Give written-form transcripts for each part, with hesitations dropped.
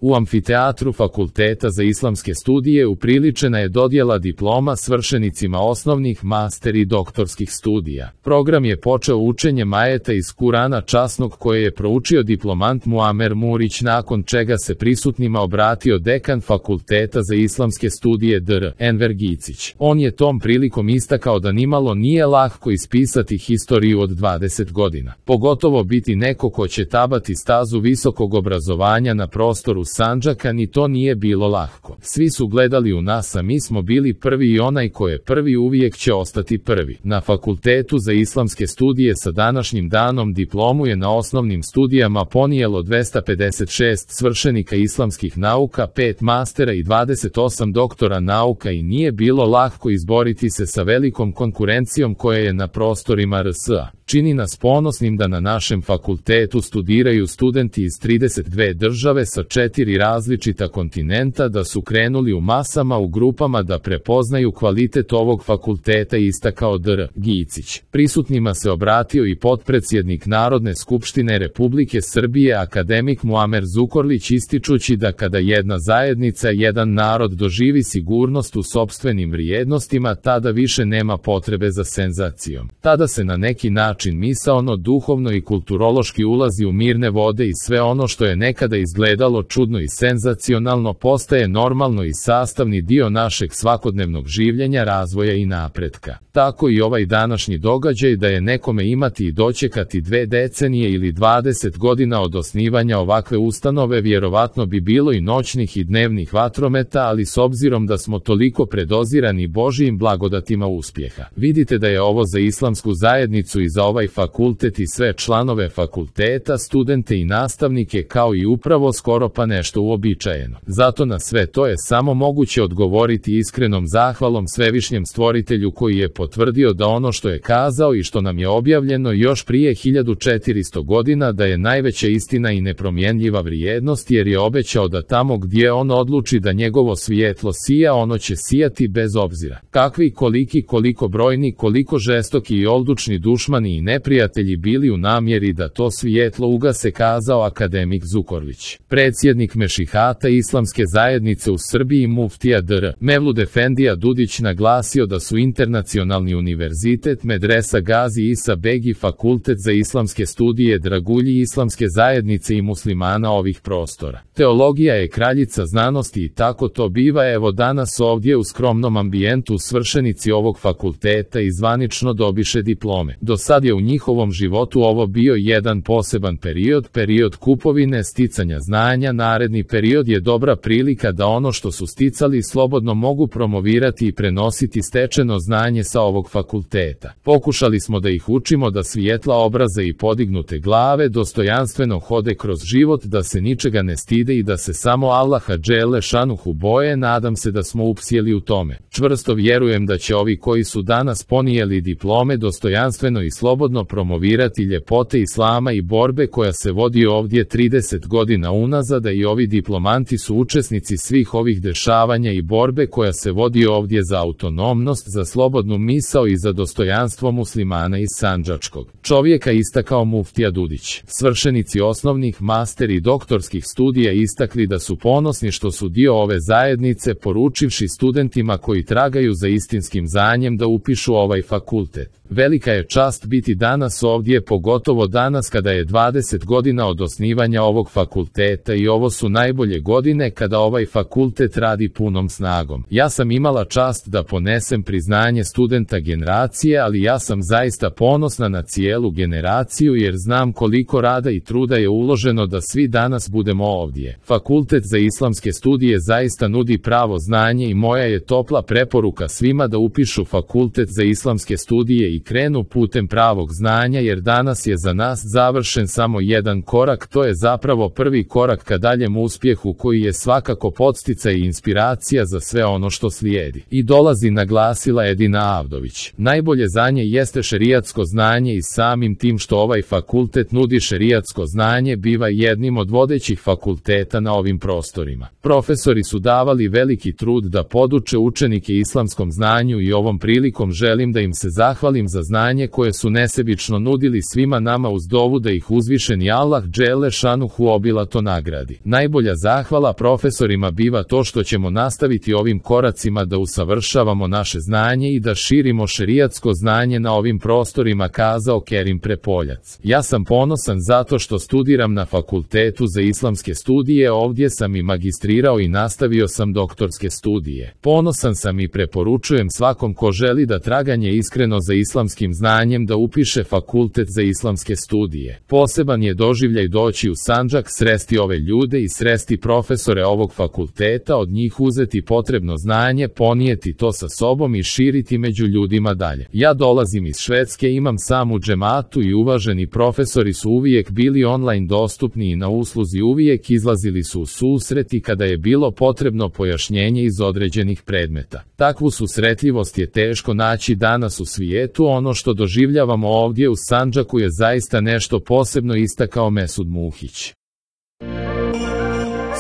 U amfiteatru Fakulteta za islamske studije upriličena je dodjela diploma svršenicima osnovnih, master i doktorskih studija. Program je počeo učenjem ajeta iz Kurana časnog koje je proučio diplomant Muamer Murić, nakon čega se prisutnima obratio dekan Fakulteta za islamske studije Dr. Enver Gicić. On je tom prilikom istakao da nimalo nije lako ispisati historiju od 20 godina. Pogotovo biti neko ko će tabati stazu visokog obrazovanja na prostoru Sandžaka, ni to nije bilo lako. Svi su gledali u nas, a mi smo bili prvi i onaj ko je prvi uvijek će ostati prvi. Na Fakultetu za islamske studije sa današnjim danom diplomu je na osnovnim studijama ponijelo 256 svršenika islamskih nauka, 5 mastera i 28 doktora nauka i nije bilo lako izboriti se sa velikom konkurencijom koja je na prostorima RS-a. Čini nas ponosnim da na našem fakultetu studiraju studenti iz 32 države sa 4 različita kontinenta, da su krenuli u masama u grupama da prepoznaju kvalitet ovog fakulteta, istakao Dr. Gicić. Prisutnima se obratio i potpredsjednik Narodne skupštine Republike Srbije akademik Muamer Zukorlić, ističući da kada jedna zajednica, jedan narod doživi sigurnost u sopstvenim vrijednostima, tada više nema potrebe za senzacijom. Tada se na neki način misaono, duhovno i kulturološki ulazi u mirne vode i sve ono što je nekada izgledalo čudno i senzacionalno postaje normalno i sastavni dio našeg svakodnevnog življenja, razvoja i napretka. Tako i ovaj današnji događaj, da je nekome imati i dočekati 2 decenije ili 20 godina od osnivanja ovakve ustanove, vjerovatno bi bilo i noćnih i dnevnih vatrometa, ali s obzirom da smo toliko predozirani Božijim blagodatima uspjeha. Vidite da je ovo za islamsku zajednicu i za ovaj fakultet i sve članove fakulteta, studente i nastavnike kao i upravo skoro pa nešto uobičajeno. Zato na sve to je samo moguće odgovoriti iskrenom zahvalom Svevišnjem Stvoritelju, koji je potvrdio da ono što je kazao i što nam je objavljeno još prije 1400 godina, da je najveća istina i nepromjenljiva vrijednost, jer je obećao da tamo gdje on odluči da njegovo svjetlo sija, ono će sijati bez obzira kakvi, koliki, koliko brojni, koliko žestoki i odlučni dušmani i neprijatelji bili u namjeri da to svjetlo ugase, kazao akademik Zukorlić. Predsjednik Mešihata islamske zajednice u Srbiji muftija Dr. Mevlud Efendija Dudić naglasio da su Internacionalni univerzitet, Medresa Gazi Isa Begi, Fakultet za islamske studije dragulji islamske zajednice i muslimana ovih prostora. Teologija je kraljica znanosti i tako to biva. Evo danas ovdje u skromnom ambijentu svršenici ovog fakulteta i zvanično dobiše diplome. Do sad je u njihovom životu ovo bio jedan poseban period kupovine, sticanja znanja. Naredni period je dobra prilika da ono što su sticali slobodno mogu promovirati i prenositi stečeno znanje sa ovog fakulteta. Pokušali smo da ih učimo da svijetla obraza i podignute glave dostojanstveno hode kroz život, da se ničega ne stide i da se samo Allaha dželle šanuhu boje. Nadam se da smo upsjeli u tome. Čvrsto vjerujem da će ovi koji su danas ponijeli diplome dostojanstveno i slobodno promovirati ljepote islama i borbe koja se vodi ovdje 30 godina unazad, i ovi diplomanti su učesnici svih ovih dešavanja i borbe koja se vodi ovdje za autonomnost, za slobodnu misao i za dostojanstvo muslimana iz sandžačkog čovjeka, istakao muftija Dudić. Svršenici osnovnih, master i doktorskih studija istakli da su ponosni što su dio ove zajednice, poručivši studentima koji tragaju za istinskim znanjem da upišu ovaj fakultet. Velika je čast biti danas ovdje, pogotovo danas kada je 20 godina od osnivanja ovog fakulteta i ovo su najbolje godine kada ovaj fakultet radi punom snagom. Ja sam imala čast da ponesem priznanje studenta generacije, ali ja sam zaista ponosna na cijelu generaciju jer znam koliko rada i truda je uloženo da svi danas budemo ovdje. Fakultet za islamske studije zaista nudi pravo znanje i moja je topla preporuka svima da upišu Fakultet za islamske studije i krenu putem pravog znanja, jer danas je za nas završen samo jedan korak, to je zapravo prvi korak ka daljem uspjehu koji je svakako podsticaj i inspiracija za sve ono što slijedi. I dolazi, naglasila Edina Avdović. Najbolje znanje jeste šerijatsko znanje i samim tim što ovaj fakultet nudi šerijatsko znanje biva jednim od vodećih fakulteta na ovim prostorima. Profesori su davali veliki trud da poduče učenike islamskom znanju i ovom prilikom želim da im se zahvalim zahvaljujem za znanje koje su nesebično nudili svima nama uz dovu da ih uzvišeni Allah dželle šanuhu obilato nagradi. Najbolja zahvala profesorima biva to što ćemo nastaviti ovim koracima da usavršavamo naše znanje i da širimo šerijatsko znanje na ovim prostorima, kazao Kerim Prepoljac. Ja sam ponosan zato što studiram na Fakultetu za islamske studije, ovdje sam i magistrirao i nastavio sam doktorske studije. Ponosan sam i preporučujem svakom ko želi da traganje iskreno za islamskim znanjem da upiše Fakultet za islamske studije. Poseban je doživljaj doći u Sandžak, sresti ove ljude i sresti profesore ovog fakulteta, od njih uzeti potrebno znanje, ponijeti to sa sobom i širiti među ljudima dalje. Ja dolazim iz Švedske, imam samu džematu i uvaženi profesori su uvijek bili online dostupni i na usluzi, uvijek izlazili su u susret i kada je bilo potrebno pojašnjenje iz određenih predmeta. Takvu susretljivost je teško naći danas u svijetu. Ono što doživljavamo ovdje u Sandžaku je zaista nešto posebno, istakao Mesud Muhić.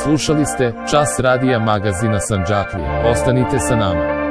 Slušali ste Čas radija magazina Sandžaklija. Ostanite sa nama.